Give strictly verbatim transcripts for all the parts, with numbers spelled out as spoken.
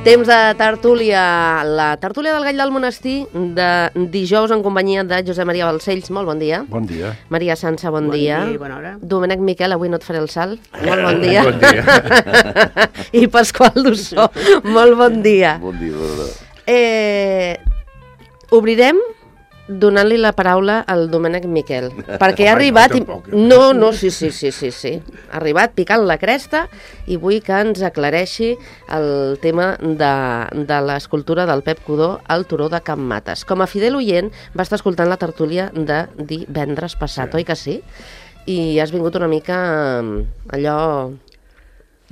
Temps de tertúlia, la tertúlia del Gall del Monestir de dijous en companyia de Josep Maria Balcells. Molt bon dia. Bon dia. Maria Sança, bon, bon dia. Bon dia i bona hora. Domènec Miquel, avui no et faré el salt. Molt bon dia. Bon dia. I Pasqual Dussó, molt bon dia. Bon dia, bona. Eh, obrirem donant-li la paraula al Domènec Miquel, perquè ha arribat... I... No, no, sí, sí, sí, sí, sí. Ha arribat picant la cresta i vull que ens aclareixi el tema de, de l'escultura del Pep Codó al Turó de Can Mates. Com a fidel oient, va estar escoltant la tertúlia de divendres passat, sí. Oi que sí? I has vingut una mica allò...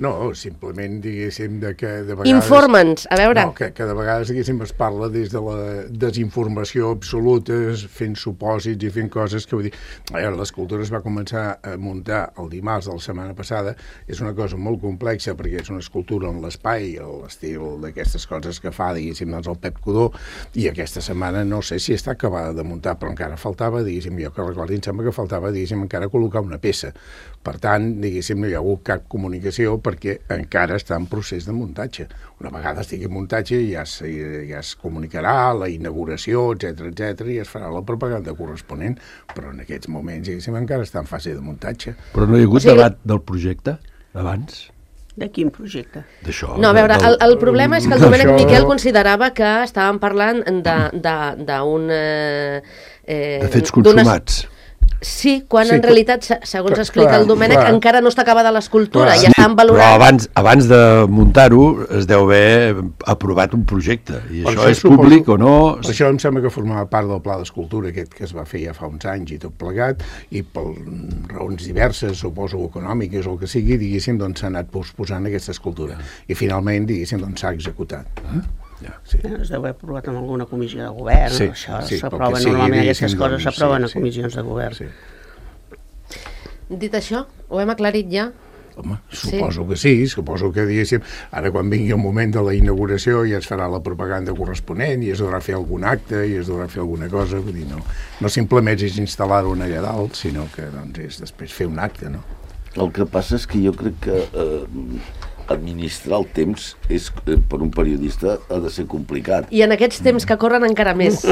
No, simplement, diguéssim, de que de vegades... Informa'ns, a veure... No, que, que de vegades, diguéssim, es parla des de la desinformació absoluta, fent supòsits i fent coses que vull dir... A veure, l'escultura es va començar a muntar el dimarts de la setmana passada, és una cosa molt complexa perquè és una escultura en l'espai, l'estil d'aquestes coses que fa, diguéssim, doncs el Pep Codó, i aquesta setmana no sé si està acabada de muntar, però encara faltava, diguéssim, jo que recordi, em sembla que faltava, diguéssim, encara col·locar una peça. Per tant, diguéssim, no hi ha hagut cap comunicació perquè encara està en procés de muntatge. Una vegada estigui en muntatge ja es, ja es comunicarà la inauguració, etcètera, etcètera, i es farà la propaganda corresponent, però en aquests moments, diguéssim, encara està en fase de muntatge. Però no hi ha hagut o sigui... debat del projecte abans? De quin projecte? D'això. No, a veure, del... el, el problema és que el Domènec Això... Miquel considerava que estàvem parlant d'un... Eh, de fets consumats. Sí, quan sí, en realitat, segons clar, explica el Domènec, clar. encara no està acabada l'escultura, Clar. ja estan valorant... Però abans, abans de muntar-ho es deu haver aprovat un projecte, i Per això, això és suposo- públic o no... Per això em sembla que formava part del pla d'escultura aquest que es va fer ja fa uns anys i tot plegat, i per raons diverses, suposo econòmiques o el que sigui, diguéssim, doncs s'ha anat posposant aquesta escultura. I finalment, diguéssim, doncs s'ha executat. Eh? Ja. Sí. Es deu haver aprovat en alguna comissió de govern, Sí, això sí, s'aprova pel que sigui, normalment, diguéssim, aquestes coses doncs, s'aproven sí, a sí. comissions de govern. Sí. Dit això, ho hem aclarit ja? Home, suposo sí. que sí, suposo que, diguéssim, ara quan vingui el moment de la inauguració ja es farà la propaganda corresponent i es deurà fer algun acte i es deurà fer alguna cosa, vull dir, no, no simplement és instal·lar-ho allà dalt, sinó que doncs, és després fer un acte, no? El que passa és que jo crec que eh, administrar el temps és, eh, per un periodista ha de ser complicat. I en aquests temps que corren encara més.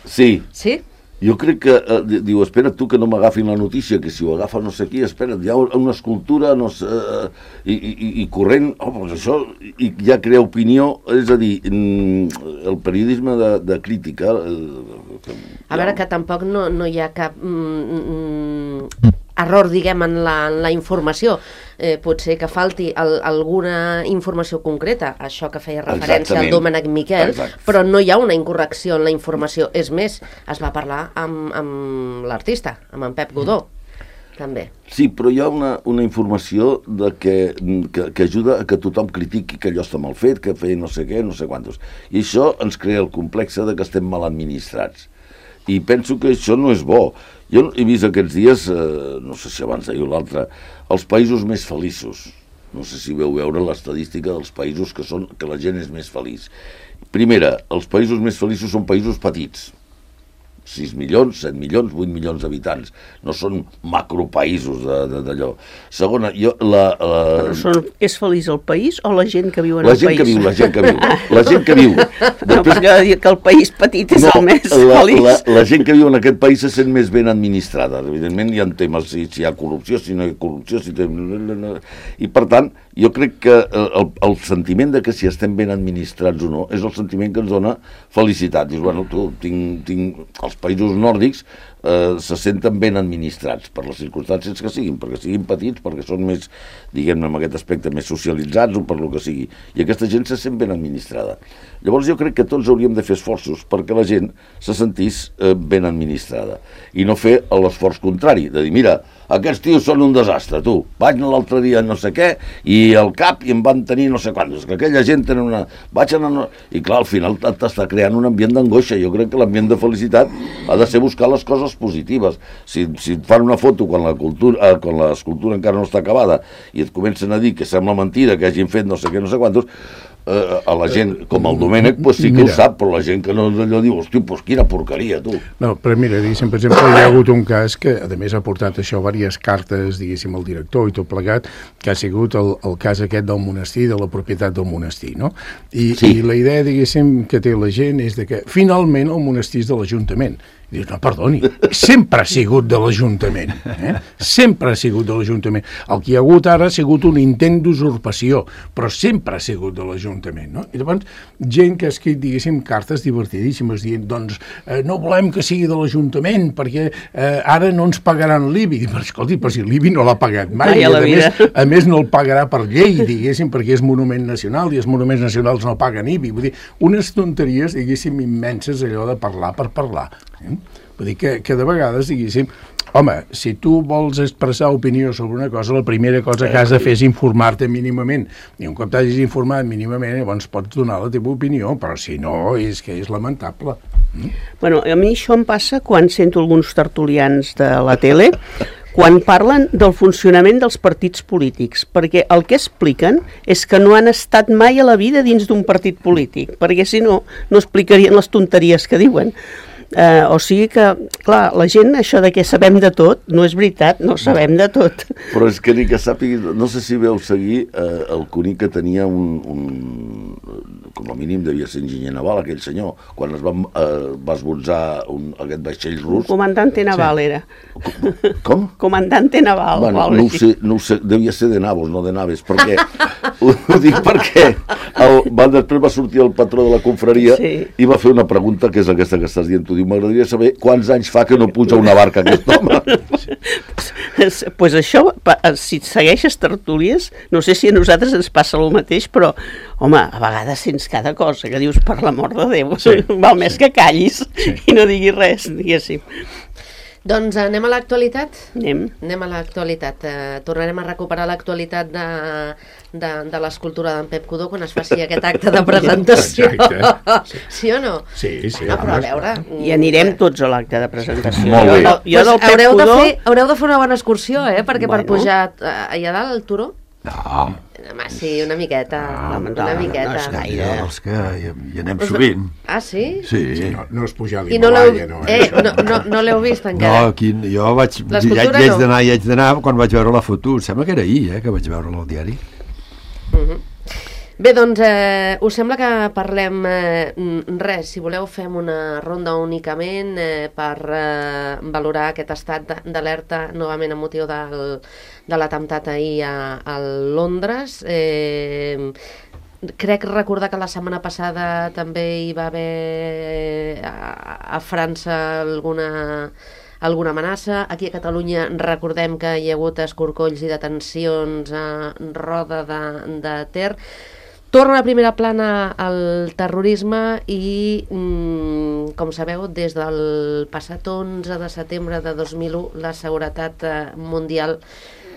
Sí. Sí? Jo crec que, eh, diu, espera tu que no m'agafin la notícia, que si ho agafa no sé qui, espera, hi ha una escultura, no sé, eh, i, i, i corrent, oh, doncs això, i ja crea opinió, és a dir, el periodisme de, de crítica... Eh, que, A veure, que tampoc no, no hi ha cap... Mm, mm, error, diguem, en la, en la informació. Eh, pot ser que falti el, alguna informació concreta, això que feia referència Exactament. al Domènec Miquel, Exacte. però no hi ha una incorrecció en la informació. És més, es va parlar amb, amb l'artista, amb en Pep Codó, també. Sí, però hi ha una, una informació de que, que, que ajuda a que tothom critiqui que allò està mal fet, que feia no sé què, no sé quantos. I això ens crea el complexe de que estem mal administrats. I penso que això no és bo. Jo he vist aquests dies, eh, no sé si abans d'ahir o l'altre, els països més feliços. No sé si veu veure l'estadística dels països que, són, que la gent és més feliç. Primera, els països més feliços són països petits. sis milions, set milions, vuit milions d'habitants. No són macropaïsos d'allò. Segona, jo... La, la... Però són, és feliç el país o la gent que viu en la el gent país? que viu, la gent que viu. La gent que viu. No, perquè dir que el país petit és no, el més la, feliç. La, la gent que viu en aquest país se sent més ben administrada. Evidentment hi ha temes, si, si hi ha corrupció, si no hi ha corrupció, si té... I per tant, jo crec que el, el sentiment de que si estem ben administrats o no és el sentiment que ens dona felicitat. Dius, bueno, tu, tinc, tinc... Els països nòrdics eh, se senten ben administrats per les circumstàncies que siguin, perquè siguin petits, perquè són més, diguem-ne, en aquest aspecte, més socialitzats o per lo que sigui. I aquesta gent se sent ben administrada. Llavors jo crec que tots hauríem de fer esforços perquè la gent se sentís eh, ben administrada i no fer l'esforç contrari, de dir, mira, aquests tios són un desastre, tu. Vaig anar l'altre dia no sé què i al cap i em van tenir no sé quantos, que aquella gent tenen una... Vaig anar... I clar, al final t'està creant un ambient d'angoixa. Jo crec que l'ambient de felicitat ha de ser buscar les coses positives. Si, si et fan una foto quan la cultura, eh, quan l'escultura encara no està acabada i et comencen a dir que sembla mentida que hagin fet no sé què, no sé quantos, eh, a la gent com el Domènec, pues sí que mira, ho sap, però la gent que no allò diu, hosti, pues quina porqueria, tu. No, però mira, diguéssim, per exemple, hi ha hagut un cas que, a més, ha portat això diverses cartes, diguéssim, al director i tot plegat, que ha sigut el, el cas aquest del monestir, de la propietat del monestir, no? I, sí. I la idea, diguéssim, que té la gent és de que, finalment, el monestir és de l'Ajuntament. I dius, no, perdoni, sempre ha sigut de l'Ajuntament, eh? Sempre ha sigut de l'Ajuntament. El que hi ha hagut ara ha sigut un intent d'usurpació, però sempre ha sigut de l'Ajuntament, no? I llavors, gent que ha escrit, diguéssim, cartes divertidíssimes, dient, doncs, eh, no volem que sigui de l'Ajuntament, perquè eh, ara no ens pagaran l'I B I. Però, escolti, però si l'I B I no l'ha pagat mai, mai i a, a més, a més no el pagarà per llei, diguéssim, perquè és monument nacional, i els monuments nacionals no paguen I B I. Vull dir, unes tonteries, diguéssim, immenses, allò de parlar per parlar. Eh? Vull dir que, que de vegades, diguéssim, home, si tu vols expressar opinió sobre una cosa, la primera cosa que has de fer és informar-te mínimament. I un cop t'hagis informat mínimament, llavors pots donar la teva opinió, però si no, és que és lamentable. Mm? Bueno, a mi això em passa quan sento alguns tertulians de la tele, quan parlen del funcionament dels partits polítics, perquè el que expliquen és que no han estat mai a la vida dins d'un partit polític, perquè si no, no explicarien les tonteries que diuen. Uh, o sigui que, clar, la gent, això de que sabem de tot, no és veritat, no sabem de tot. Però és que ni que sàpigui, no sé si veu seguir eh, el Cuní que tenia un, un, com a mínim devia ser enginyer naval, aquell senyor, quan es va, eh, va esbotzar un, aquest vaixell rus. Comandante naval sí. Era. Com? Comandante naval. Bueno, no ho sé, no ho sé, devia ser de navos, no de naves, perquè, ho, ho dic perquè el, va, després va sortir el patró de la confraria sí. I va fer una pregunta que és aquesta que estàs dient, tu diu, m'agradaria saber quants anys fa que no puja una barca aquest home. Doncs pues això, si segueixes tertúlies, no sé si a nosaltres ens passa el mateix, però, home, a vegades sents cada cosa que dius, per l'amor de Déu, sí, val més sí. Que callis sí. I no diguis res, diguéssim. Doncs anem a l'actualitat? Anem. Anem a l'actualitat. Uh, tornarem a recuperar l'actualitat de, de, de l'escultura d'en Pep Codó quan es faci aquest acte de presentació. Sí. Sí o no? Sí, sí. No, però a veure... I anirem tots a l'acte de presentació. Molt bé. Jo, jo del Pep haureu, Codó... de fer, haureu de fer una bona excursió, eh? Perquè bueno. Per pujar uh, allà dalt al turó... No. Home, sí, una miqueta, no, una no, miqueta. No és gaire. Els que hi, hi anem sovint. Ah, sí? Sí. Sí, no, no és pujar a I no l'Himalaya, no, no. Eh, no, no, no l'heu vist encara? No, aquí, jo vaig, ja, ja haig no. d'anar, ja haig d'anar quan vaig veure la foto. Sembla que era ahir, eh, que vaig veure-la al diari. Uh-huh. Bé, doncs, eh, us sembla que parlem eh, res, si voleu fem una ronda únicament eh, per eh, valorar aquest estat d'alerta novament amb motiu del, de l'atemptat ahir a, a Londres. Eh, crec recordar que la setmana passada també hi va haver a, a França alguna... alguna amenaça. Aquí a Catalunya recordem que hi ha hagut escorcolls i detencions a Roda de, de Ter. Torna a primera plana el terrorisme i, mm, com sabeu, des del passat onze de setembre de dos mil u la seguretat mundial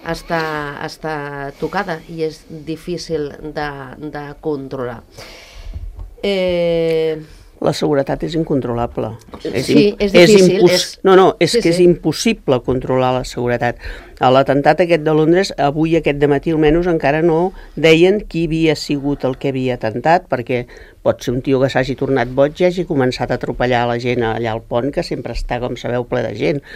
està, està tocada i és difícil de, de controlar. Eh... La seguretat és incontrolable. Sí, és difícil. És impos... és... No, no, és sí, que sí. És impossible controlar la seguretat. A l'atemptat aquest de Londres, avui aquest dematí almenys encara no deien qui havia sigut el que havia atemptat, perquè pot ser un tio que s'hagi tornat boig i hagi començat a atropellar la gent allà al pont, que sempre està, com sabeu, ple de gent.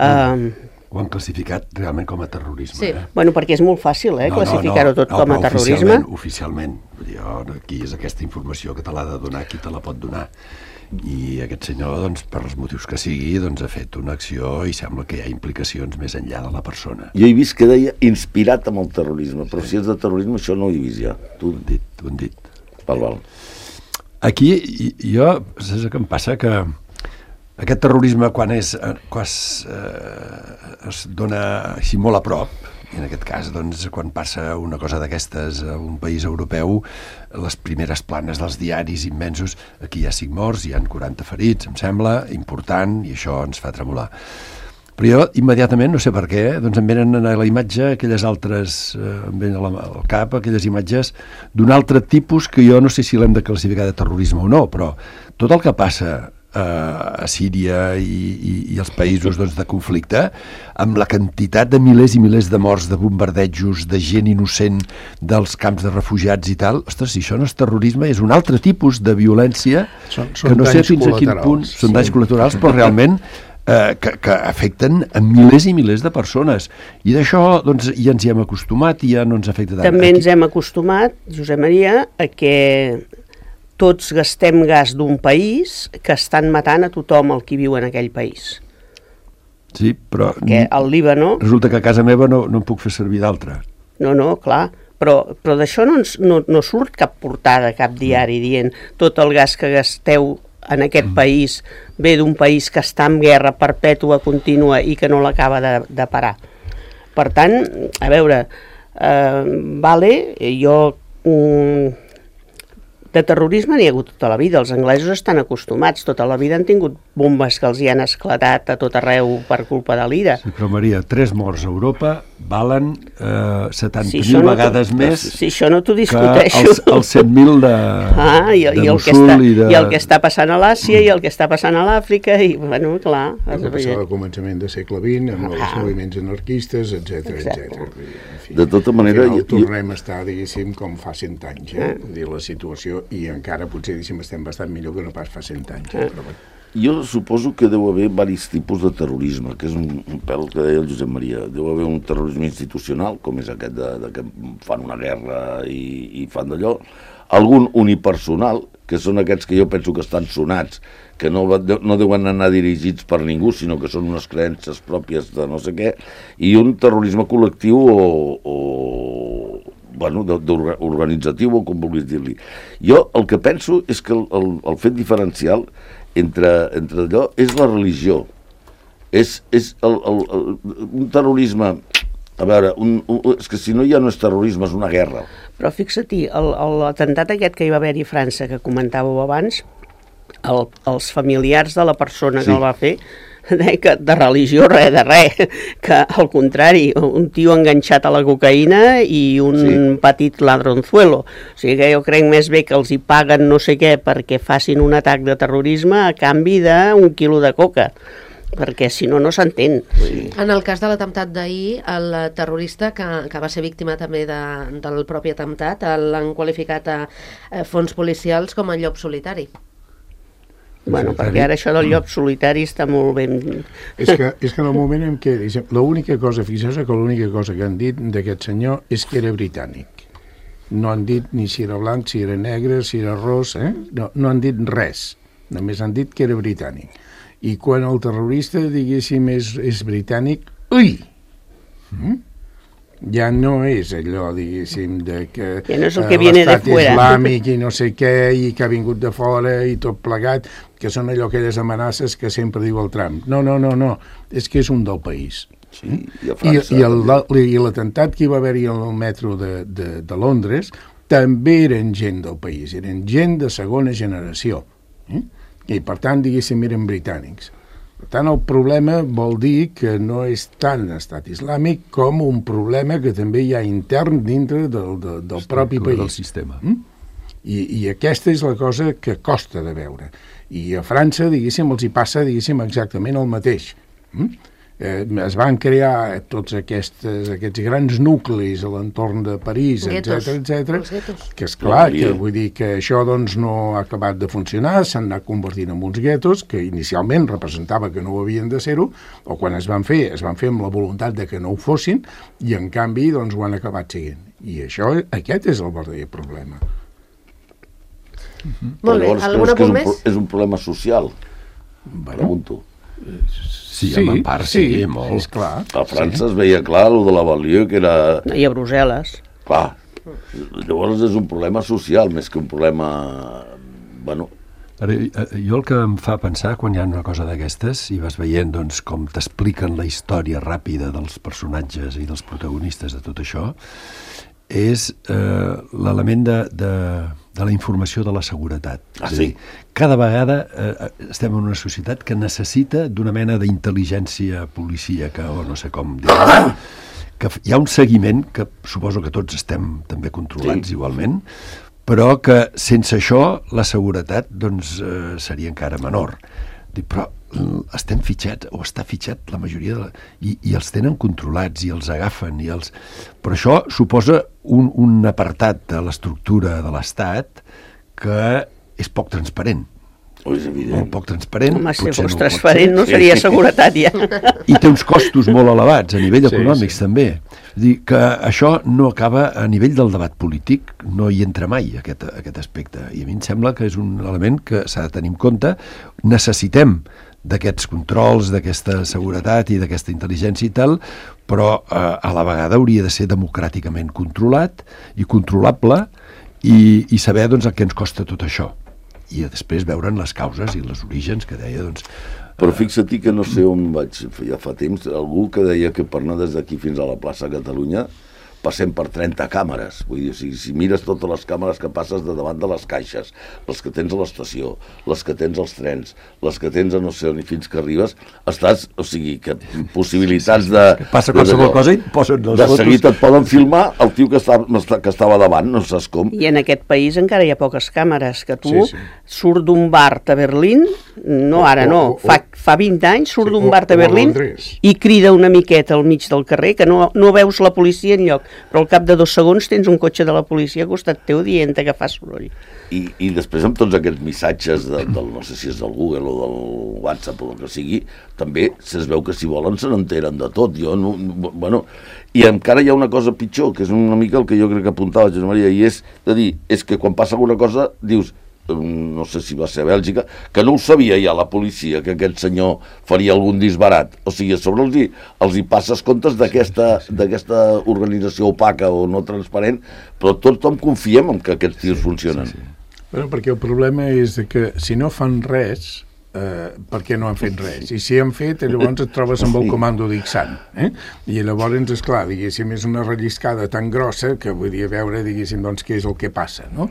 Mm. Uh, Ho han classificat realment com a terrorisme. Sí. Eh? Bueno, perquè és molt fàcil, eh, no, classificar-ho no, no, tot no, com a terrorisme. Oficialment, oficialment. Jo, aquí és aquesta informació que te l'ha de donar, qui te la pot donar. I aquest senyor, doncs, per els motius que sigui, doncs, ha fet una acció i sembla que hi ha implicacions més enllà de la persona. Jo he vist que deia inspirat amb el terrorisme, però sí. Si és de terrorisme això no ho he vist ja. Tu ho han dit, tu ho han dit. Val, val. Aquí, jo, saps què em passa? Que aquest terrorisme, quan, és, quan es, eh, es dona així molt a prop, i en aquest cas, doncs, quan passa una cosa d'aquestes a un país europeu, les primeres planes dels diaris immensos, aquí hi ha cinc morts, hi ha quaranta ferits, em sembla, important, i això ens fa tremolar. Però jo, immediatament, no sé per què, doncs em venen a la imatge aquelles altres, eh, em venen al cap aquelles imatges d'un altre tipus que jo no sé si l'hem de classificar de terrorisme o no, però tot el que passa a Síria i, i, i els països doncs, de conflicte, amb la quantitat de milers i milers de morts, de bombardejos, de gent innocent dels camps de refugiats i tal, ostres, si això no és terrorisme, és un altre tipus de violència són, són que no sé fins a quin punt són sí. danys col·laterals, però realment eh, que, que afecten a milers i milers de persones. I d'això doncs, ja ens hi hem acostumat i ja no ens afecta tant. També ens hem acostumat, Josep Maria, a que tots gastem gas d'un país que estan matant a tothom el que viu en aquell país. Sí, però Perquè al Líbano... resulta que a casa meva no, no en puc fer servir d'altra. No, no, clar, però, però d'això no, ens, no, no surt cap portada, cap diari dient tot el gas que gasteu en aquest mm. país ve d'un país que està en guerra perpètua, contínua i que no l'acaba de, de parar. Per tant, a veure, eh, vale, jo... Mm, de terrorisme n'hi ha hagut tota la vida, els anglesos estan acostumats, tota la vida han tingut bombes que els hi han esclatat a tot arreu per culpa de l'ira. Sí, però Maria, tres morts a Europa valen eh, setanta mil si no vegades més si això no t'ho que discuteixo. els, els cent mil de, ah, i, de i el que Mosul està, i de... I el que està passant a l'Àsia mm. i el que està passant a l'Àfrica, i, bueno, clar... El que passava al començament del segle vint, amb ah. els moviments anarquistes, etcètera, etcètera. En fi, de tota manera... Al final, jo, tornem a estar, diguéssim, com fa cent anys, eh? Ah. Dir, la situació, i encara potser, diguéssim, estem bastant millor que no pas fa cent anys. Eh? Però, jo suposo que deu haver diversos tipus de terrorisme, que és un, un pèl que deia el Josep Maria. Deu haver un terrorisme institucional, com és aquest de, de que fan una guerra i, i fan d'allò. Algun unipersonal, que són aquests que jo penso que estan sonats, que no, no deuen anar dirigits per ningú, sinó que són unes creences pròpies de no sé què, i un terrorisme col·lectiu o... o bueno, organitzatiu o com vulguis dir-li. Jo el que penso és que el, el, el fet diferencial entre, entre allò és la religió. És, és el, el, el, un terrorisme... A veure, un, un, és que si no ja no és terrorisme, és una guerra. Però fixa-t'hi, l'atemptat aquest que hi va haver a França, que comentàveu abans, el, els familiars de la persona sí. que el va fer, que de religió res de res, que al contrari, un tio enganxat a la cocaïna i un sí. petit ladronzuelo. O sigui que jo crec més bé que els hi paguen no sé què perquè facin un atac de terrorisme a canvi d'un quilo de coca, perquè si no, no s'entén. Sí. En el cas de l'atemptat d'ahir, el terrorista que, que va ser víctima també de, del propi atemptat, l'han qualificat a, a fons policials com a llop solitari. Bueno, perquè ara això del llop solitari està molt ben... És que, és que en el moment en què... L'única cosa, fixeu-se que l'única cosa que han dit d'aquest senyor és que era britànic. No han dit ni si era blanc, si era negre, si era ros, eh? No, no han dit res. Només han dit que era britànic. I quan el terrorista, diguéssim, és, és britànic, ui! Mm? Ja no és allò, diguéssim, de que ja no és el que viene de fuera. Islàmic i no sé què, i que ha vingut de fora i tot plegat, que són allò aquelles amenaces que sempre diu el Trump. No, no, no, no, és que és un del país. Sí, i a França... I, i l'atemptat que hi va haver-hi al metro de, de, de Londres també eren gent del país, eren gent de segona generació. Eh? I per tant, diguéssim, eren britànics. Per tant, el problema vol dir que no és tant estat islàmic com un problema que també hi ha intern dintre del, del, del propi país. Del sistema. Mm? I, I aquesta és la cosa que costa de veure. I a França, diguéssim, els hi passa, diguéssim, exactament el mateix. Mm? Eh, es van crear tots aquests, aquests grans nuclis a l'entorn de París, etcètera, etcètera, que és clar, que vull dir que això doncs no ha acabat de funcionar, s'han anat convertint en uns guetos que inicialment representava que no ho havien de ser-ho, o quan es van fer, es van fer amb la voluntat de que no ho fossin, i en canvi doncs ho han acabat seguint. I això, aquest és el verdader problema. Mm-hmm. Molt bé, alguna punt més? És un problema social, bueno, pregunto. Sí, sí, en part, sí, sí, molt. És clar. A França sí. Es veia clar el de la Balió, que era... I a Brussel·les. Clar. Llavors és un problema social, més que un problema... Bueno... Ara, jo el que em fa pensar, quan hi ha una cosa d'aquestes, i vas veient doncs, com t'expliquen la història ràpida dels personatges i dels protagonistes de tot això, és eh, l'element de, de, de la informació de la seguretat. Ah, és a dir, sí? Cada vegada eh, estem en una societat que necessita d'una mena d'intel·ligència policíaca, o no sé com dir-ho, que hi ha un seguiment, que suposo que tots estem també controlats sí. Igualment, però que sense això la seguretat doncs, eh, seria encara menor. Dic, però estem fitxats, o està fitxat la majoria de la... I, i els tenen controlats i els agafen i els... Però això suposa un, un apartat de l'estructura de l'Estat que és poc transparent. Oh, és evident. Molt poc transparent. Home, si fos no transparent no seria seguretat ja. I té uns costos molt elevats a nivell econòmics, sí, sí. també. És dir, que això no acaba a nivell del debat polític, no hi entra mai aquest, aquest aspecte. I a mi em sembla que és un element que s'ha de tenir en compte. Necessitem d'aquests controls, d'aquesta seguretat i d'aquesta intel·ligència i tal, però eh, a la vegada hauria de ser democràticament controlat i controlable i, i saber doncs, el que ens costa tot això. I després veure'n les causes i els orígens que deia, doncs... Però fixa't que no sé on vaig, ja fa temps, algú que deia que per anar des d'aquí fins a la plaça Catalunya passem per trenta càmeres. Vull dir, o sigui, si mires totes les càmeres que passes de davant de les caixes, les que tens a l'estació, les que tens als trens, les que tens a no sé on i fins que arribes, estàs, o sigui, que possibilitats de... Que passa qualsevol cosa i et posen les de fotos. De seguit et poden filmar el tio que, està, que estava davant, no saps com. I en aquest país encara hi ha poques càmeres, que tu Sí, sí. surt d'un bar a Berlín, no ara no, O- o- fa, fa vint anys surt Sí, d'un o- bar o a a Berlín Londres. i crida una miqueta al mig del carrer, que no, no veus la policia enlloc, però al cap de dos segons tens un cotxe de la policia al costat teu dient que fa soroll. I, i després amb tots aquests missatges de, del, no sé si és del Google o del WhatsApp o el que sigui, també es veu que si volen se n'enteren de tot. Jo no, bueno, i encara hi ha una cosa pitjor, que és una mica el que jo crec que apuntava Josep Maria, i és de dir, és que quan passa alguna cosa dius, no sé si va ser a Bèlgica, que no ho sabia ja la policia, que aquest senyor faria algun disbarat. O sigui, a sobre els hi, els hi passes comptes d'aquesta sí, sí, sí. d'aquesta organització opaca o no transparent, però tothom confiem en que aquests tios sí, funcionen. Sí, sí. Bueno, perquè el problema és que si no fan res, eh, per què no han fet res? I si han fet, llavors et trobes amb el comando d'Ixant. Eh? I llavors, esclar, diguéssim, és una relliscada tan grossa que vull dir, veure, diguéssim, doncs, què és el que passa, no?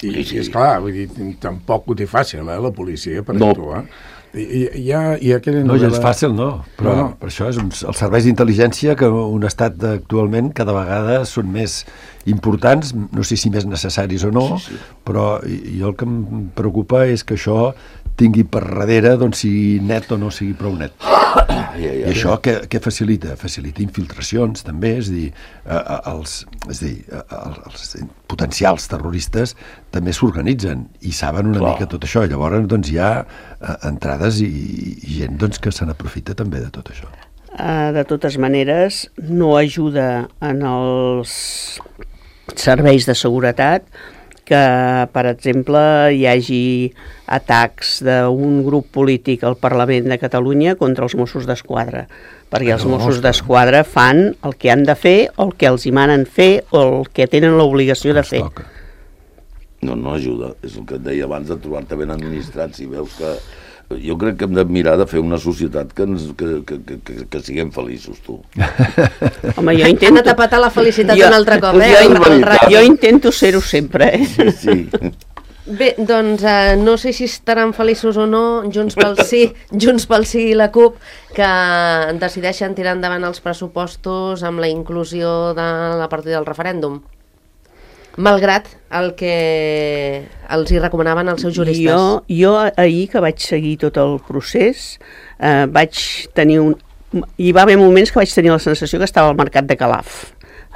I, Sí, sí. i esclar, vull dir, tampoc ho té fàcil, eh, la policia, per No. actuar. I, i, hi ha, hi ha aquella No, novel·la... gens fàcil, no. Però No, no. per això és un, els serveis d'intel·ligència que un estat actualment cada vegada són més importants, no sé si més necessaris o no, sí, sí. però i- jo el que em preocupa és que això tingui per darrere, doncs, sigui net o no sigui prou net. Ja, ja, I això què, què facilita? Facilita infiltracions, també, és a dir, eh, eh, els, és a dir eh, els potencials terroristes també s'organitzen i saben una Clar. mica tot això. I llavors, doncs, hi ha eh, entrades i, i gent doncs, que se n'aprofita també de tot això. Uh, de totes maneres, no ajuda en els serveis de seguretat que, per exemple, hi hagi atacs d'un grup polític al Parlament de Catalunya contra els Mossos d'Esquadra, perquè els No, Mossos ostres. d'Esquadra fan el que han de fer, o el que els hi manen fer, o el que tenen l'obligació de Ens fer. toca. No, no ajuda. És el que et deia abans de trobar-te ben administrat. Si veus que... Jo crec que hem de mirar de fer una societat que, ens, que, que, que, que, que siguem feliços, tu. Home, jo Han intento... tapat a la felicitat Jo- un altre cop, eh? Jo, El- el in- ra- jo intento ser-ho sempre, eh? Sí, sí. Bé, doncs eh, no sé si estaran feliços o no Junts pel Sí, Junts pel Sí i la CUP, que decideixen tirar endavant els pressupostos amb la inclusió de la partida del referèndum, malgrat el que els hi recomanaven els seus juristes. Jo, jo ahir que vaig seguir tot el procés, eh, vaig tenir un... Hi va haver moments que vaig tenir la sensació que estava al mercat de Calaf.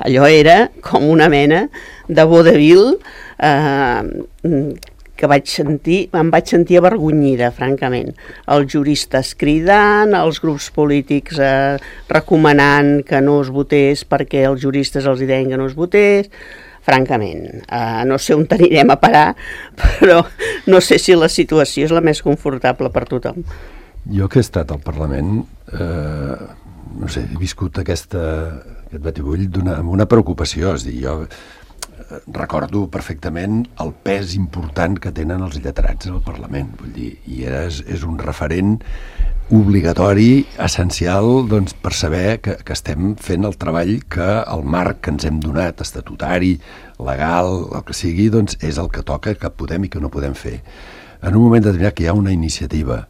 Allò era com una mena de vodevil eh, que vaig sentir, em vaig sentir avergonyida, francament. Els juristes cridant, els grups polítics eh, recomanant que no es votés perquè els juristes els deien que no es votés. Francament, uh, no sé on anirem a parar, però no sé si la situació és la més confortable per tothom. Jo que he estat al Parlament, eh, no sé, he viscut aquesta, aquest batibull d'una, amb una preocupació, és a dir, jo eh, recordo perfectament el pes important que tenen els lletrats al Parlament, vull dir, i és, és un referent obligatori, essencial, doncs, per saber que, que estem fent el treball que el marc que ens hem donat, estatutari, legal, el que sigui, doncs és el que toca, que podem i que no podem fer. En un moment determinat que hi ha una iniciativa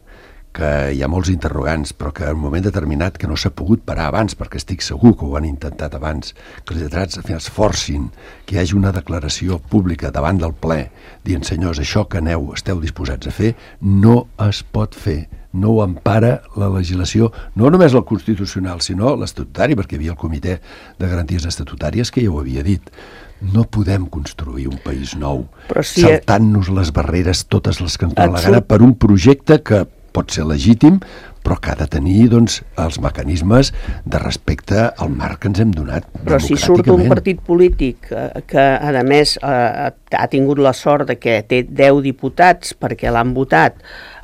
que hi ha molts interrogants, però que en un moment determinat que no s'ha pogut parar abans, perquè estic segur que ho han intentat abans, que els lletrats al final es forcin que hi hagi una declaració pública davant del ple dient, senyors, això que aneu, esteu disposats a fer, no es pot fer. No ho empara la legislació, no només el constitucional, sinó l'estatutari, perquè hi havia el Comitè de Garanties Estatutàries que ja ho havia dit. No podem construir un país nou si saltant-nos les barreres, totes les que ens donen la gana, per un projecte que pot ser legítim, però que ha de tenir doncs, els mecanismes de respecte al marc que ens hem donat. Però si surt un partit polític que, que a més, eh, ha tingut la sort de que té deu diputats perquè l'han votat,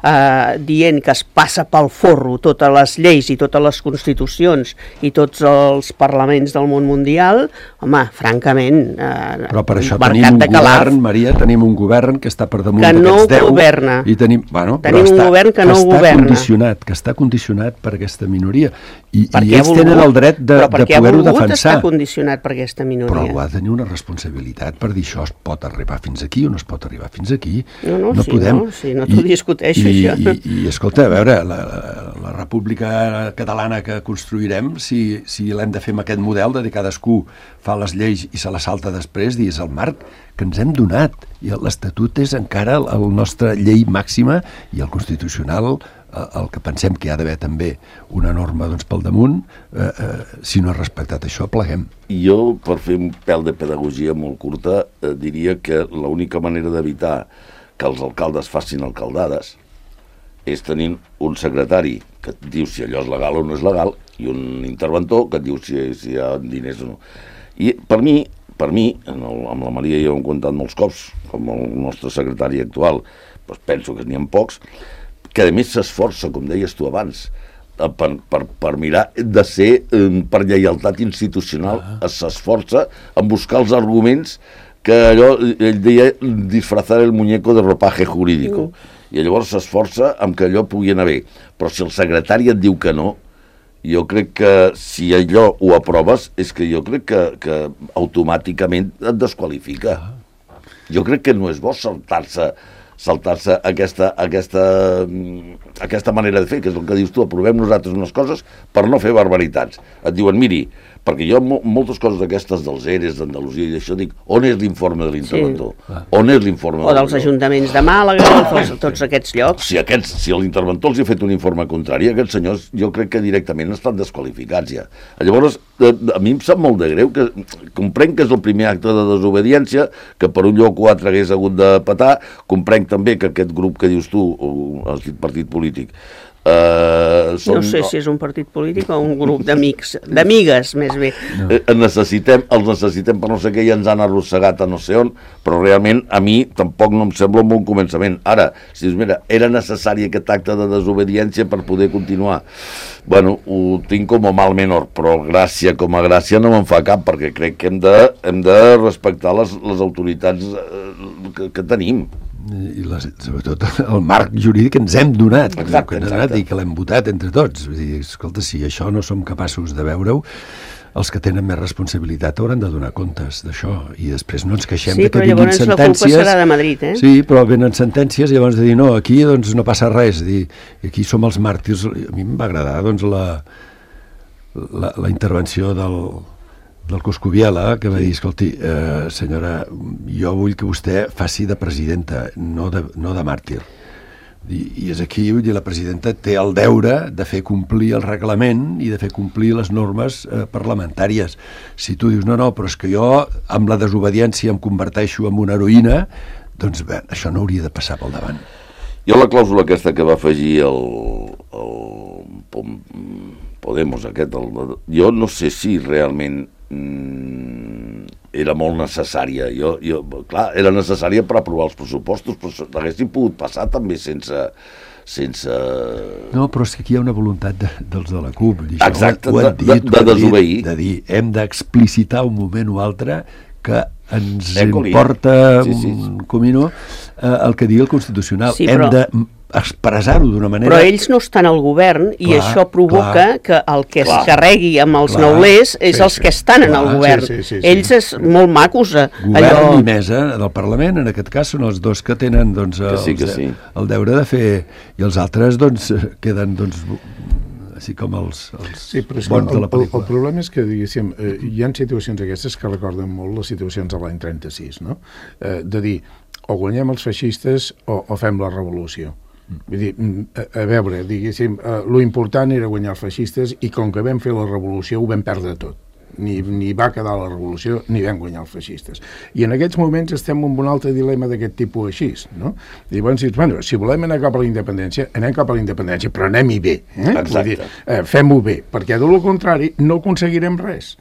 eh, dient que es passa pel forro totes les lleis i totes les constitucions i tots els parlaments del món mundial, home, francament, eh, però per això tenim un govern, Maria, tenim un govern que està per damunt d'aquests deu. Que no governa. I tenim, bueno, tenim un govern que no governa. Condicionat, que està condicionat per aquesta minoria. I, i ells tenen el dret de, de poder-ho defensar. Però per què ha volgut estar condicionat per aquesta minoria? Però ha de tenir una responsabilitat per dir això es pot arribar fins aquí o no es pot arribar fins aquí. No, no, no sí, podem. no, sí, no t'ho discuteixo, I, això. I, i, i escolta, a veure, la, la república catalana que construirem, si, si l'hem de fer amb aquest model de dir cadascú fa les lleis i se la salta després, dir, és el marc que ens hem donat. I l'Estatut és encara la nostra llei màxima i el constitucional el que pensem que hi ha d'haver també una norma doncs, pel damunt, eh, eh, si no ha respectat això, pleguem. Jo, per fer un pèl de pedagogia molt curta, eh, diria que l'única manera d'evitar que els alcaldes facin alcaldades és tenir un secretari que et diu si allò és legal o no és legal i un interventor que et diu si, si hi ha diners o no. I per mi, per mi en el, amb la Maria ja ho hem contat molts cops, com el nostre secretari actual, doncs penso que n'hi ha pocs, que a més s'esforça, com deies tu abans, per, per, per mirar de ser, per lleialtat institucional, ah. s'esforça en buscar els arguments que allò, ell deia, disfrazar el muñeco de ropaje jurídico. Mm. I llavors s'esforça en que allò pugui anar bé. Però si el secretari et diu que no, jo crec que si allò ho aproves, és que jo crec que, que automàticament et desqualifica. Ah. Jo crec que no és bo saltar-se saltar-se aquesta, aquesta, aquesta manera de fer, que és el que dius tu, aprovem nosaltres unes coses per no fer barbaritats. Et diuen, miri, perquè jo moltes coses d'aquestes dels E R Es d'Andalusia i d'això dic, on és l'informe de l'interventor? Sí. On és l'informe? O dels ajuntaments de Màlaga, tots, tots aquests llocs. Si, aquests, si l'interventor els ha fet un informe contrari, aquests senyors jo crec que directament estan desqualificats ja. Llavors, a mi em sap molt de greu que comprenc que és el primer acte de desobediència, que per un lloc o altre hagués hagut de petar, comprenc també que aquest grup que dius tu, el partit polític, Uh, són... No sé si és un partit polític o un grup d'amics, d'amigues, més bé. No. Eh, necessitem, els necessitem per no sé què i ens han arrossegat a no sé on, però realment a mi tampoc no em sembla un bon començament. Ara, si dius, mira, era necessari aquest acte de desobediència per poder continuar. Bueno, ho tinc com a mal menor, però gràcia com a gràcia no me'n fa cap, perquè crec que hem de, hem de respectar les, les autoritats que, que tenim. I les, sobretot el marc jurídic que ens hem donat, exacte, que ens donat i que l'hem votat entre tots. Vull dir, escolta, si això no som capaços de veure-ho, els que tenen més responsabilitat hauran de donar comptes d'això i després no ens queixem sí, de que vinguin sentències. Sí, però llavors la culpa serà de Madrid, eh? Sí, però venen sentències i llavors de dir no, aquí doncs no passa res, dir, aquí som els màrtirs. A mi em va agradar doncs la, la, la intervenció del del Coscubiela, que va dir, escolti, eh, senyora, jo vull que vostè faci de presidenta, no de, no de màrtir. I, i és aquí, vull dir, la presidenta té el deure de fer complir el reglament i de fer complir les normes eh, parlamentàries. Si tu dius, no, no, però és que jo amb la desobediència em converteixo en una heroïna, doncs bé, això no hauria de passar pel davant. Jo la clàusula aquesta que va afegir el, el Podemos aquest, el, jo no sé si realment era molt necessària. Jo, jo, clar, era necessària per aprovar els pressupostos, però haguessin pogut passar també sense... sense... No, però és que aquí hi ha una voluntat de, dels de la CUP. Això, exacte, ho de, dit, de, de desobeir. Dit, de dir, hem d'explicitar un moment o altre que ens Ecoli. importa sí, sí. un comino eh, el que digui el Constitucional. Sí, hem però... de expressar-ho d'una manera... Però ells no estan al govern i clar, això provoca clar, que el que clar, es carregui amb els clar, neulers és sí, els sí, que estan clar, en el govern. sí, sí, sí, sí. Ells és molt macos. Govern Allò... i mesa del Parlament, en aquest cas, són els dos que tenen doncs, Que sí, els, que sí. el deure de fer... I els altres doncs, queden doncs, així com els, els Sí, però és que bons el, de la el, el pel·lícula. problema és que, diguéssim, eh, hi ha situacions aquestes que recorden molt les situacions de l'any trenta-sis, no? Eh, de dir, o guanyem els feixistes o, o fem la revolució. Vull dir, a, a veure, diguéssim, eh, lo important era guanyar els feixistes i com que vam fer la revolució ho vam perdre tot. Ni, ni va quedar la revolució ni vam guanyar els feixistes. I en aquests moments estem en un altre dilema d'aquest tipus així, no? I llavors dius, bueno, si volem anar cap a la independència, anem cap a la independència, però anem-hi bé. Eh? Vull dir, eh, fem-ho bé, perquè de lo contrari no aconseguirem res.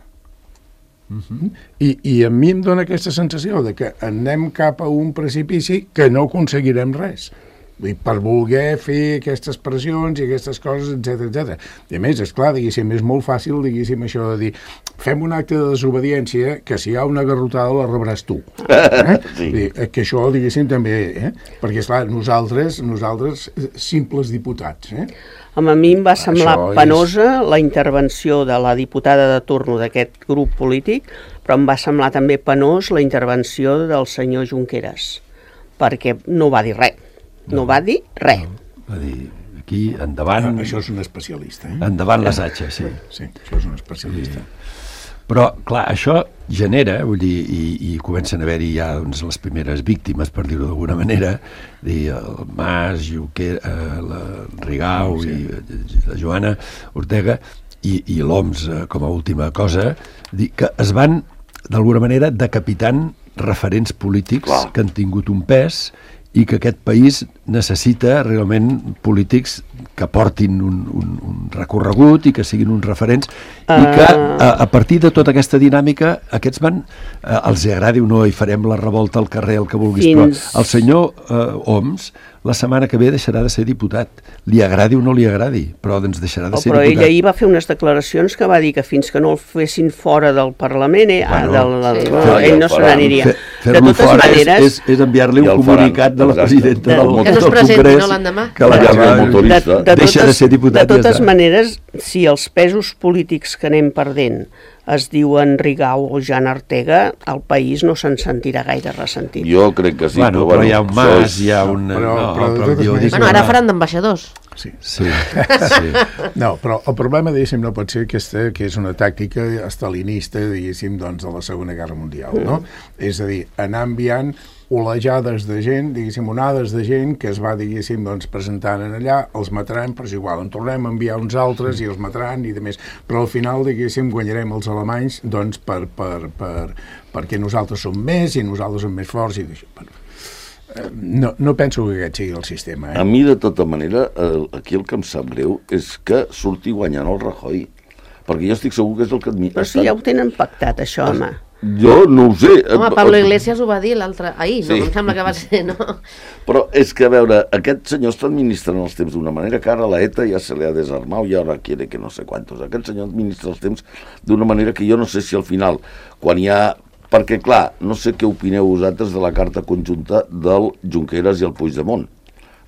Uh-huh. I, I a mi em dóna aquesta sensació de que anem cap a un precipici que no aconseguirem res. Vull dir, per voler fer aquestes pressions i aquestes coses, etcètera, etcètera. I a més, esclar, diguéssim, és molt fàcil, diguéssim, això de dir, fem un acte de desobediència que si hi ha una garrotada la rebràs tu. Eh? Sí. Dir, que això, diguéssim, també, eh? Perquè, esclar, nosaltres, nosaltres, simples diputats, eh? A mi em va semblar Això és- penosa la intervenció de la diputada de turno d'aquest grup polític, però em va semblar també penós la intervenció del senyor Junqueras, perquè no va dir res. No va dir res. Va dir, aquí, endavant, Ah, això és un especialista, eh? endavant les atxes, sí. Sí, això és un especialista. Però, clar, això genera, vull dir, i, i comencen a haver-hi ja doncs, les primeres víctimes, per dir-ho d'alguna manera, dir, el Mas, Junqueras, eh, la Rigau sí. i la Joana Ortega, i, i l'Oms eh, com a última cosa, dir que es van, d'alguna manera, decapitant referents polítics Clar. que han tingut un pes i que aquest país necessita realment polítics que portin un, un, un recorregut i que siguin uns referents uh... i que a, a partir de tota aquesta dinàmica aquests van, eh, els agradi o no i farem la revolta al carrer, el que vulguis, Fins... però el senyor eh, Homs la setmana que ve deixarà de ser diputat, li agradi o no li agradi, però doncs deixarà de Oh, ser però diputat. ell ahir va fer unes declaracions que va dir que fins que no el fessin fora del Parlament, eh, Bueno, ah, del, del, sí. no, No, ell no ja se faran. n'aniria. Fer- De Fer-lo totes fora maneres... és, és, és enviar-li I un el comunicat faran, de la exacte. presidenta De- del, Que no es del presenti, Congrés no, l'endemà. que la Ja, llama, el motorista. de deixa de ser diputat de i ja totes està. maneres, si els pesos polítics que anem perdent es diuen Rigau o Jan Ortega, el país no se'n sentirà gaire ressentit. Jo crec que sí. Bueno, però hi ha un això Mas, és- hi ha un... Però- no, però de però totes jo maneres- dic Bueno, ara una- faran d'ambaixadors. Sí. Sí, sí. No, però el problema, diguéssim, no pot ser aquesta, que és una tàctica estalinista, diguéssim, doncs, de la Segona Guerra Mundial, no? És a dir, anar enviant olejades de gent, diguéssim, onades de gent que es va, diguéssim, doncs, presentant en allà, els mataran, però és igual, en tornem a enviar uns altres i els mataran i de més. Però al final, diguéssim, guanyarem els alemanys, doncs, per, per, per, perquè nosaltres som més i nosaltres som més forts i d'això. Bueno, no, no penso que aquest sigui el sistema, eh? A mi, de tota manera, eh, aquí el que em sap greu és que surti guanyant el Rajoy. Perquè jo estic segur que és el que... Però si ja ho tenen pactat, això, home. Jo no ho sé. Home, Pablo Iglesias ho va dir l'altre... Ahir, no? Sí. Em sembla que va ser, no? Però és que, a veure, aquest senyor està administrant els temps d'una manera que ara la ETA ja se li ha desarmat i ara quiere que no sé quantos. Aquest senyor administra els temps d'una manera que jo no sé si al final, quan hi ha... Perquè, clar, no sé què opineu vosaltres de la carta conjunta del Junqueras i el Puigdemont.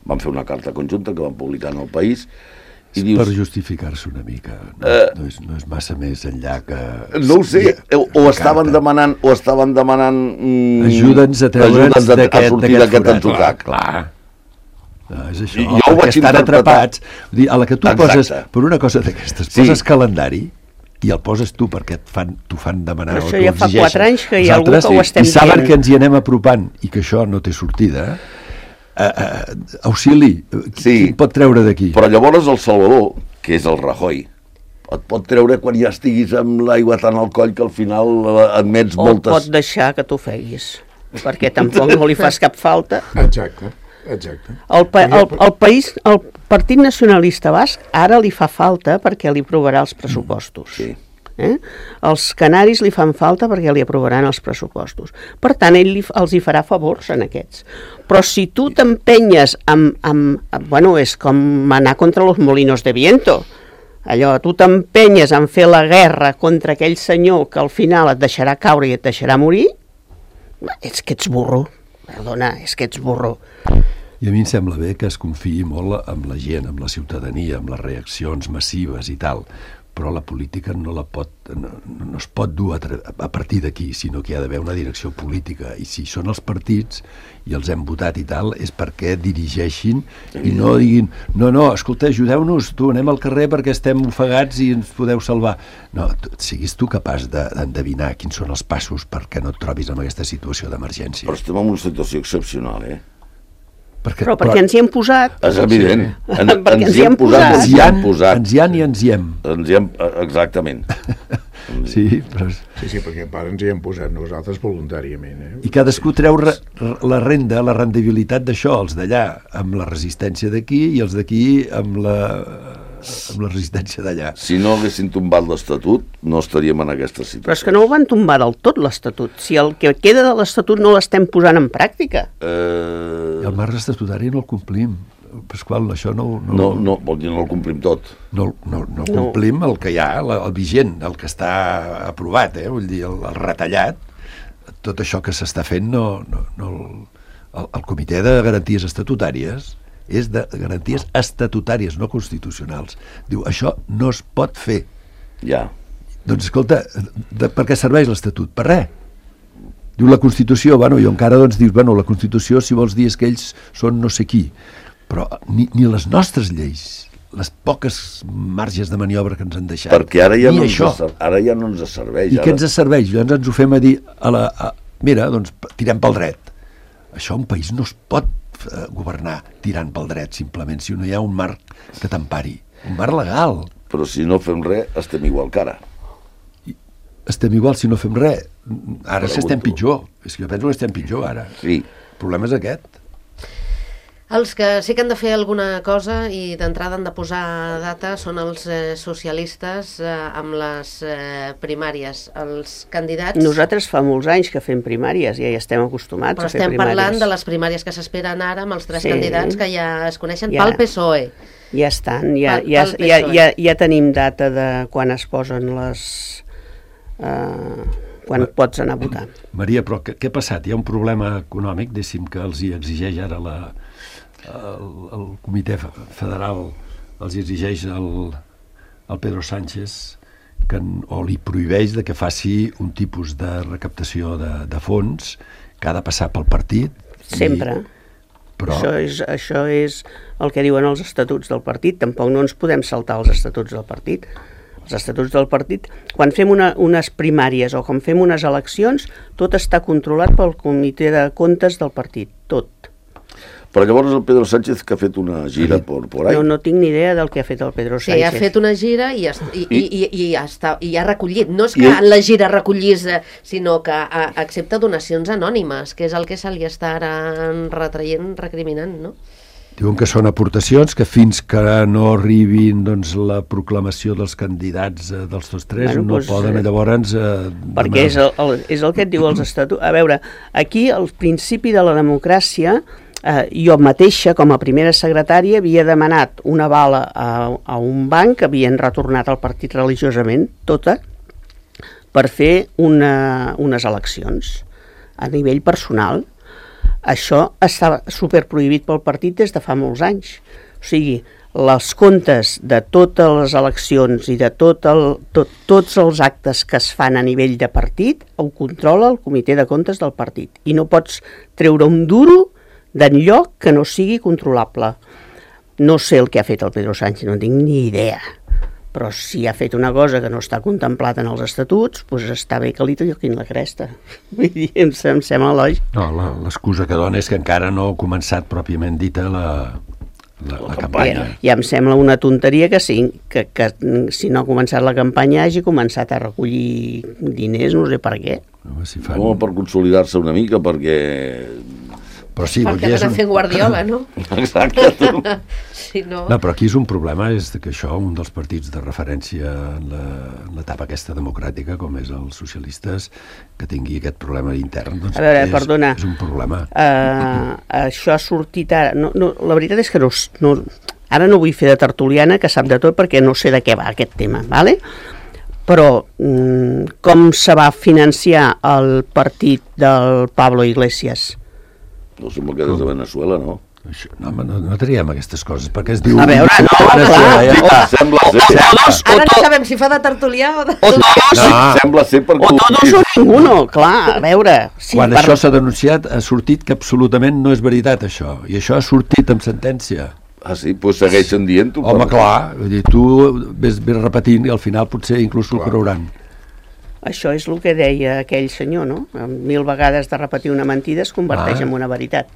Van fer una carta conjunta que van publicar en El País i dius... Per justificar-se una mica. No, Eh, no, és, no és massa més enllà que... No ho sé, o, o la estaven carta. demanant... O estaven demanant mm, Ajuda'ns a treure'ns ajuda'ns a, a d'aquest sortir d'aquest d'aquest forat. atzucac. Clar, clar. No, és això, Jo ho perquè vaig estan interpretar. atrapats. Vull dir, a la que tu Exacte. poses, per una cosa d'aquestes, Sí. poses calendari i el poses tu perquè et fan, t'ho fan demanar Però o això t'ho ja fa exigeixen. quatre anys que hi ha algú Nosaltres, que ho estem i saben dient. que ens hi anem apropant i que això no té sortida, eh, eh, auxili, Sí. qui et pot treure d'aquí? Però llavors el Salvador, que és el Rajoy, et pot treure quan ja estiguis amb l'aigua tant al coll que al final eh, admets O moltes... pot deixar que t'ofeguis, perquè tampoc no li fas cap falta. Exacte, exacte. El, pa el, el país, el Partit Nacionalista Basc ara li fa falta perquè li aprovarà els pressupostos. Sí. Eh? Els canaris li fan falta perquè li aprovaran els pressupostos. Per tant, ell li, els hi farà favors en aquests. Però si tu t'empenyes amb, amb, amb... Bueno, és com anar contra los molinos de viento. Allò, tu t'empenyes en fer la guerra contra aquell senyor que al final et deixarà caure i et deixarà morir, és que ets burro. Perdona, és que ets burro. I a mi em sembla bé que es confiï molt amb la gent, amb la ciutadania, amb les reaccions massives i tal, però la política no la pot, no, no es pot dur a, a partir d'aquí, sinó que hi ha d'haver una direcció política, i si són els partits i els hem votat i tal, és perquè dirigeixin i no diguin, no, no, escolta, ajudeu-nos, tu, anem al carrer perquè estem ofegats i ens podeu salvar. No, tu, siguis tu capaç d'endevinar de, quins són els passos perquè no et trobis en aquesta situació d'emergència. Però estem en una situació excepcional, eh? Perquè, però perquè però, ens hi hem posat. És evident. Sí. En, perquè ens hi hem posat. Ens hi han posat. Ens hi han i ens hi hem. Ens hi hem, exactament. Sí, però... sí, sí, perquè part ens hi hem posat nosaltres voluntàriament. Eh? I cadascú treu re, la renda, la rendibilitat d'això, els d'allà amb la resistència d'aquí i els d'aquí amb la... amb la resistència d'allà. Si no haguessin tombat l'Estatut, no estaríem en aquesta situació. Però és que no ho van tombar del tot, l'Estatut. Si el que queda de l'Estatut no l'estem posant en pràctica. Eh... I el marc estatutari no el complim. Pasqual, això no... No, no, no vol dir no el complim tot. No, no, no, no complim el que hi ha, el, el vigent, el que està aprovat, eh? Vull dir, el, el retallat. Tot això que s'està fent, no, no, no, el, el Comitè de Garanties Estatutàries és de garanties estatutàries, no constitucionals. Diu, això no es pot fer. Ja. Doncs, escolta, de, per què serveix l'Estatut? Per res. Diu la Constitució, bueno, i encara doncs dius, bueno, la Constitució, si vols dir, és que ells són no sé qui. Però ni, ni les nostres lleis, les poques marges de maniobra que ens han deixat, perquè ara ja, ni no això. Ens, ara ja no ens serveix. I ara... què ens serveix? Llavors ens ho fem a dir, a la, a, mira, doncs tirem pel dret. Això un país no es pot governar tirant pel dret, simplement, si no hi ha un marc que t'empari, un marc legal. Però si no fem res, estem igual que ara. I estem igual si no fem res. Ara sí estem pitjor. És que jo penso que estem pitjor ara. Sí. El problema és aquest. Els que sí que han de fer alguna cosa i d'entrada han de posar data són els eh, socialistes eh, amb les eh, primàries. Els candidats... Nosaltres fa molts anys que fem primàries, ja hi estem acostumats però a fer primàries. Però estem parlant de les primàries que s'esperen ara amb els tres sí. candidats que ja es coneixen ja. pel P S O E. Ja estan, ja, pel, ja, pel ja, ja, ja tenim data de quan es posen les... Uh, quan Ma, pots anar a votar. Maria, però què, què ha passat? Hi ha un problema econòmic, deixi'm que els hi exigeix ara la... El, el comitè federal els exigeix al, al Pedro Sánchez que, o li prohibeix de que faci un tipus de recaptació de, de fons que ha de passar pel partit. Sempre. I, però... això, és, això és el que diuen els estatuts del partit. Tampoc no ens podem saltar els estatuts del partit. Els estatuts del partit, quan fem una, unes primàries o quan fem unes eleccions, tot està controlat pel comitè de comptes del partit, tot. Però llavors el Pedro Sánchez que ha fet una gira sí. por, por ahí. No, no tinc ni idea del que ha fet el Pedro Sánchez. Sí, ha fet una gira i, i, i, i, i, ha, està, i ha recollit. No és que en la gira recollís, sinó que a, accepta donacions anònimes, que és el que se li està ara retraient, recriminant, no? Diuen que són aportacions que fins que no arribin doncs, la proclamació dels candidats eh, dels tots tres bueno, no doncs, poden llavors... Eh, perquè és el, el, és el que et diu els estatuts. A veure, aquí el principi de la democràcia... Eh, jo mateixa, com a primera secretària, havia demanat una bala a, a un banc que havien retornat al partit religiosament, tota, per fer una, unes eleccions a nivell personal. Això estava superprohibit pel partit des de fa molts anys. O sigui, les comptes de totes les eleccions i de tot el, tot, tots els actes que es fan a nivell de partit ho controla el comitè de comptes del partit. I no pots treure un duro d'enlloc que no sigui controlable. No sé el que ha fet el Pedro Sánchez, no tinc ni idea. Però si ha fet una cosa que no està contemplat en els estatuts, doncs està bé que li toquin la cresta. Vull dir, em, em sembla lògic. No, l'excusa que dona és que encara no ha començat pròpiament dita la, la, la campanya. Ja, ja em sembla una tonteria que, sí, que, que si no ha començat la campanya hagi començat a recollir diners, no sé per què. No, si fan... no per consolidar-se una mica, perquè... Però sí, perquè van a fer Guardiola, no? Exacte. Sí, no. No, però aquí és un problema, és que això, un dels partits de referència en l'etapa aquesta democràtica, com és els socialistes, que tingui aquest problema intern, doncs a veure, és, perdona, és un problema. Uh, això ha sortit ara... No, no, la veritat és que no, no, ara no vull fer de tertuliana, que sap de tot, perquè no sé de què va aquest tema, ¿vale? Però mm, com se va financiar el partit del Pablo Iglesias? No sembla que des de Venezuela, no? Això, no, home, no, no triem aquestes coses, perquè es diu... A veure, no, clar. Ja, ja, Sembla ser. Todos, o Ara no to- sabem si fa de tertulià o de... o todos, No. Sembla ser perquè... o todos o ninguno, clar, a veure. Sí, Quan per- això s'ha denunciat, ha sortit que absolutament no és veritat, això. I això ha sortit amb sentència. Ah, sí? Doncs pues segueixen dient-ho. Home, però- clar, vull dir, tu ves, ves repetint i al final potser inclús ho creuran. Això és el que deia aquell senyor, no? Amb mil vegades de repetir una mentida es converteix Ah. en una veritat.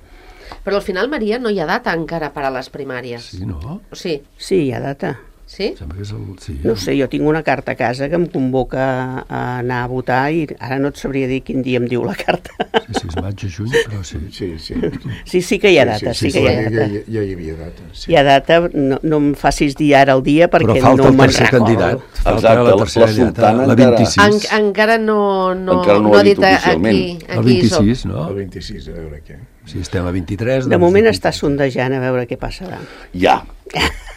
Però al final, Maria, no hi ha data encara per a les primàries. Sí, no? O sí, Sí, hi ha data. sí? Sembla que és el... Sí, No ho sé, jo tinc una carta a casa que em convoca a anar a votar i ara no et sabria dir quin dia em diu la carta. sí, sí, és maig o juny, però sí. Sí, sí. Sí, sí que hi ha data, sí, que hi ha ja, data. ja, ja hi havia data. Sí. Hi ha data, no, no em facis dir ara el dia perquè Però falta no el me'n tercer recordo. candidat. Falta Exacte, la la- tercera la candidata, sultana la encara- vint-i-sis. En, encara no, no, Encara no ho ha dit dit oficialment. aquí, El aquí soc. vint-i-sis, no? El vint-i-sis, a veure què. Si estem a vint-i-tres... De doncs moment vint-i-tres. està sondejant a veure què passarà. Ja.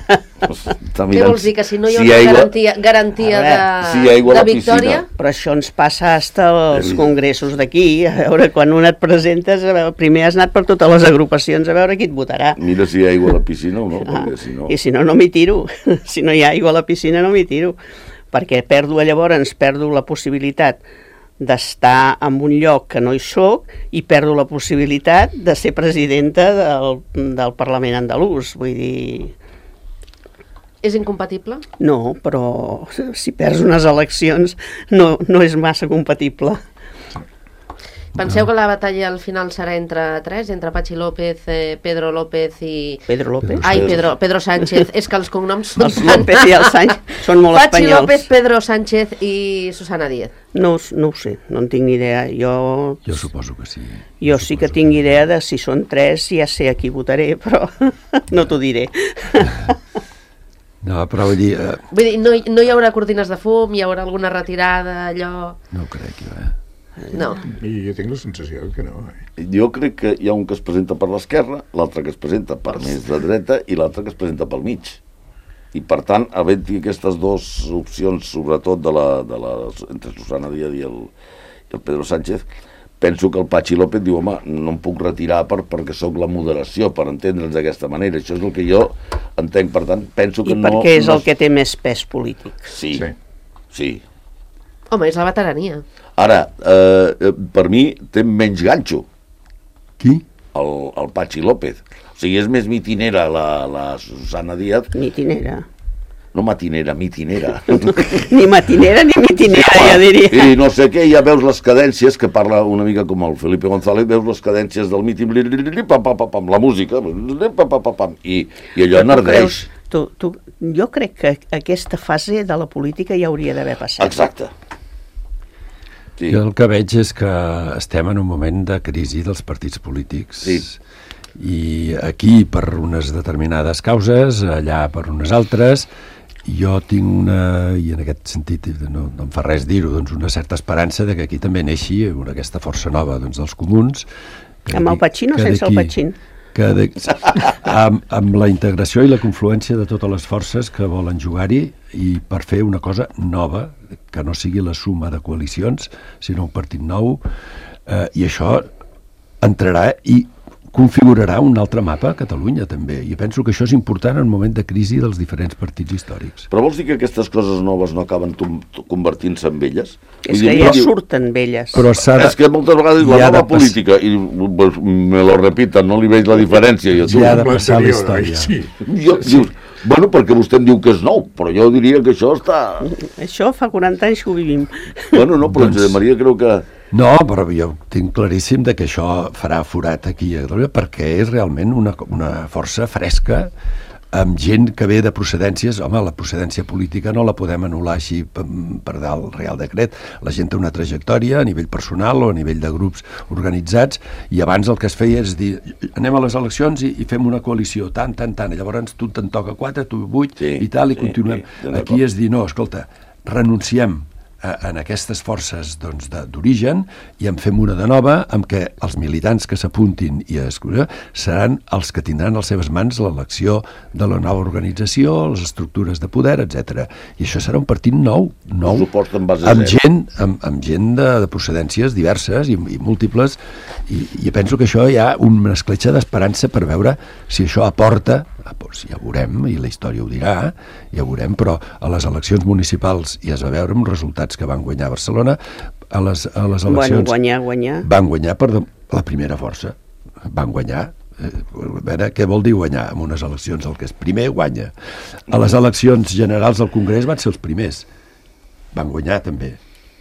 Està Què mirant vols dir, que si no hi ha si una aigua- garantia, garantia A de, veure, si hi ha aigua a de la victòria? piscina. Però això ens passa hasta els congressos d'aquí, a veure, quan un et presentes, a veure, primer has anat per totes les agrupacions a veure qui et votarà. Mira si hi ha aigua a la piscina o no, Ah, perquè si no... I si no, no m'hi tiro. Si no hi ha aigua a la piscina, no m'hi tiro. Perquè perdo, llavors, perdo la possibilitat d'estar en un lloc que no hi soc i perdo la possibilitat de ser presidenta del, del Parlament andalús. Vull dir, És incompatible? no, però si perds unes eleccions no, no és massa compatible. Penseu que la batalla al final serà entre tres, entre Patxi López, eh, Pedro López i... Pedro López. Ai, Pedro, Pedro Sánchez. És que els cognoms són Els López i els Sánchez són molt Patxi espanyols. López, Pedro Sánchez i Susana Díez. No, no ho sé, no en tinc ni idea. Jo, Jo suposo que sí. jo sí que tinc idea de si són tres, ja sé a qui votaré, però no t'ho diré. No, però vull dir, eh, Vull dir, no, hi- no hi haurà cortines de fum, hi haurà alguna retirada, allò... no ho crec jo, eh? No. I jo tinc la sensació que no. Eh? Jo crec que hi ha un que es presenta per l'esquerra, l'altre que es presenta per més de dreta i l'altre que es presenta pel mig. I per tant, havent-hi aquestes dues opcions, sobretot de la, de la, entre Susana Díaz i el, i el Pedro Sánchez, penso que el Patxi López diu, home, no em puc retirar per, perquè sóc la moderació, per entendre'ns d'aquesta manera. Això és el que jo entenc, per tant, penso que I no... perquè és no... el que té més pes polític. Sí, sí. Sí. sí. Home, és la veterania. Ara, eh, per mi té menys ganxo Qui? el, el Patxi López. O sigui, és més mitinera la, la Susana Díaz. Mitinera. No matinera, mitinera. Ni matinera ni mitinera, jo diria. I no sé què, ja veus les cadències, que parla una mica com el Felipe González, veus les cadències del míting, pam, pam, pam, pam, la música, pam, pam, pam, pam, i, i allò Tu enardeix. creus- Tu, tu, jo crec que aquesta fase de la política ja hauria d'haver passat. Exacte. Sí. Jo el que veig és que estem en un moment de crisi dels partits polítics. Sí. I aquí per unes determinades causes, allà per unes altres. Jo tinc una, i en aquest sentit no, no em fa res dir-ho, doncs una certa esperança de que aquí també neixi una, aquesta força nova doncs, dels comuns. que Amb el d'aquí- Pachín o que sense el d'aquí- Pachín? Que de, amb, amb la integració i la confluència de totes les forces que volen jugar-hi i per fer una cosa nova, que no sigui la suma de coalicions, sinó un partit nou, eh, i això entrarà i configurarà un altre mapa a Catalunya també, i penso que això és important en un moment de crisi dels diferents partits històrics. Però vols dir que aquestes coses noves no acaben tom- convertint-se en velles? És Vull que dir, ja diu- surten velles. Però s'ha de, És que moltes vegades la hi ha de nova pas- política, i pues, me lo repiten, no li veig la diferència. I tu, hi ha de Com passar la l'anterior, oi? història. Sí. jo, dius, bueno, perquè vostè em diu que és nou, però jo diria que això està... Això fa quaranta anys que ho vivim. Bueno, no, però Doncs- Josep Maria creu que... No, però jo tinc claríssim de que això farà forat aquí a Catalunya perquè és realment una, una força fresca amb gent que ve de procedències. Home, la procedència política no la podem anul·lar així per, per dalt Real Decret. La gent té una trajectòria a nivell personal o a nivell de grups organitzats i abans el que es feia és dir anem a les eleccions i, i fem una coalició, tant, tant, tant, i llavors tu te'n toca quatre, tu vuit Sí, i tal, i sí, continuem. sí, estic d'acord. Aquí és dir, no, escolta, renunciem en aquestes forces doncs, d'origen i en fem una de nova amb què els militants que s'apuntin i a escollir seran els que tindran a les seves mans l'elecció de la nova organització, les estructures de poder, etcètera. I això serà un partit nou, nou amb gent, amb, amb gent de, de procedències diverses i, i múltiples, i, i penso que això hi ha una escletxa d'esperança per veure si això aporta. Doncs ja ho veurem, i la història ho dirà, ja ho veurem, però a les eleccions municipals ja es va veure amb resultats que van guanyar a Barcelona, a les, a les eleccions... Bueno, guanyar, guanyar. Van guanyar per la primera força, van guanyar. Eh, a veure, què vol dir guanyar en unes eleccions? El que és primer guanya. A les eleccions generals del Congrés van ser els primers, van guanyar també.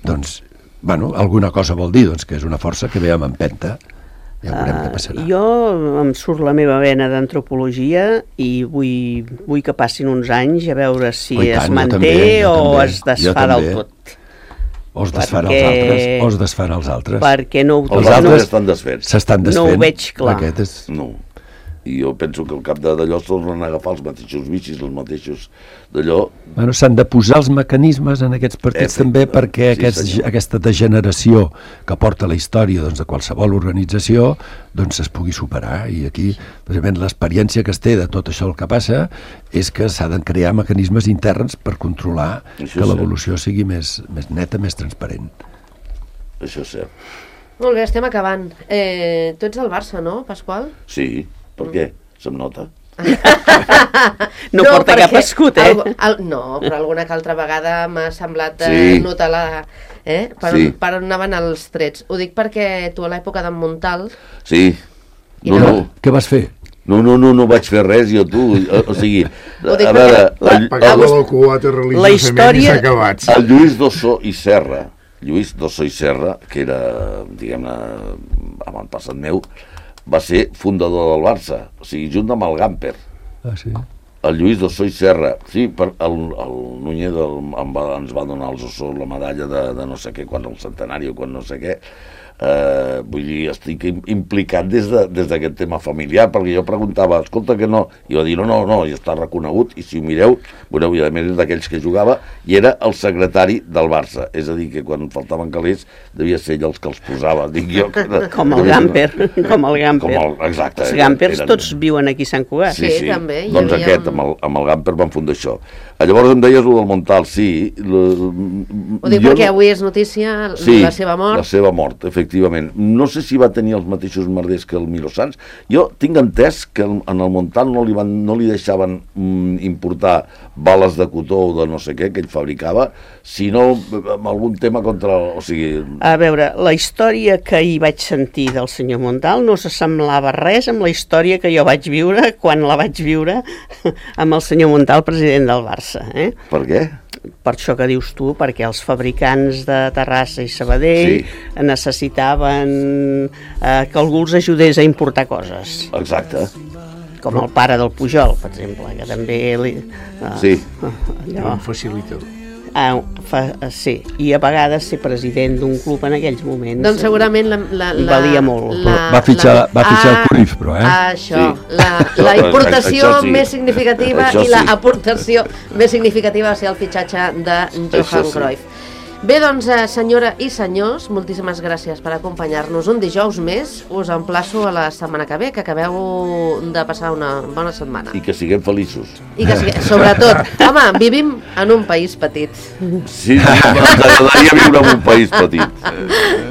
Doncs, bueno, alguna cosa vol dir, doncs, que és una força que ve amb empenta. Ja veurem què passarà. Uh, jo em surt la meva vena d'antropologia i vull, vull que passin uns anys a veure si oh, es manté també, o també, es desfà del tot. O es desfan perquè... els altres, o es desfan els altres. Perquè no ho... Els altres estan desfets. S'estan desfent. No ho veig clar. Aquest és... No. I jo penso que al cap d'allò tornen a agafar els mateixos vicis, els mateixos d'allò... Bueno, s'han de posar els mecanismes en aquests partits eh, també perquè sí, aquests, aquesta degeneració que porta la història doncs, de qualsevol organització doncs es pugui superar. I aquí, precisament, l'experiència que es té de tot això el que passa és que s'ha de crear mecanismes interns per controlar això que l'evolució sigui més, més neta, més transparent. Això és cert. Molt bé, estem acabant. Eh, tu ets del Barça, no, Pasqual? Sí. Per què? Se'm nota? no, no porta cap escut, eh? El, el, no, però alguna que altra vegada m'ha semblat sí. eh, notar la... Eh? Per, sí. per on anaven els trets. Ho dic perquè tu a l'època d'en Montal... Sí. No, no. Què vas fer? No, no, no, no vaig fer res, jo, tu. O, o sigui, a veure... La, el, el, el quota la història... El Lluís d'Ossó i Serra, Lluís d'Ossó i Serra, que era, diguem-ne, avantpassat meu, va ser fundador del Barça, o sigui, junt amb el Gamper. Ah, sí? El Lluís d'Ossó i Serra. Sí, per, el, el Núñez del, va, ens va donar als Ossó la medalla de, de no sé què, quan el centenari o quan no sé què. Eh, vull dir, estic implicat des d'aquest de, tema familiar, perquè jo preguntava, escolta que no, i va dir, no, no, no, ja està reconegut, i si ho mireu, veureu, i a més d'aquells que jugava, i era el secretari del Barça, és a dir, que quan faltaven calés devia ser ell els que els posava, dic jo. Que, com el Gamper, com el Gamper. Com el, exacte. Els Gampers eren, tots viuen aquí a Sant Cugat. Sí, sí, sí també. Doncs havia... aquest, amb el, amb el Gamper van fundar això. Llavors em deies el del Montal, sí. L... Ho dic jo perquè no... avui és notícia sí, la seva mort. la seva mort, efectivament. No sé si va tenir els mateixos merders que el Milo Sanz. Jo tinc entès que en el Montal no li, van, no li deixaven mm, importar bales de cotó o de no sé què que ell fabricava, sinó amb algun tema contra... El, o sigui... A veure, la història que hi vaig sentir del senyor Montal no s'assemblava res amb la història que jo vaig viure quan la vaig viure amb el senyor Montal, president del Barça. Eh? Per què? Per això que dius tu, perquè els fabricants de Terrassa i Sabadell sí. necessitaven eh, que algú els ajudés a importar coses. Exacte. Com el pare del Pujol, per exemple, que també... Li, eh, sí. Allò. Un facilitador. Ah, fa, sí, i a vegades ser president d'un club en aquells moments doncs segurament la, la, la, valia molt la, va fitxar, la, va fitxar ah, el Cruyff, però eh? Això, sí. la, la importació això sí. més significativa això i la sí. aportació més significativa va ser el fitxatge de Johan sí. Cruyff. Bé, doncs, senyora i senyors, moltíssimes gràcies per acompanyar-nos un dijous més. Us emplaço a la setmana que ve, que acabeu de passar una bona setmana. I que siguem feliços. I que siguem, sobretot, home, vivim en un país petit. Sí, ens agradaria viure en un país petit.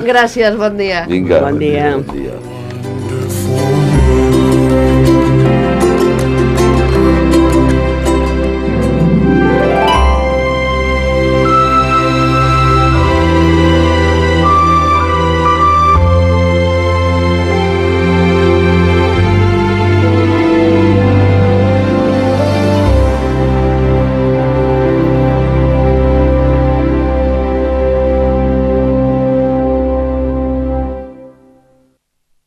Gràcies, bon dia. Vinga, bon dia. Bon dia.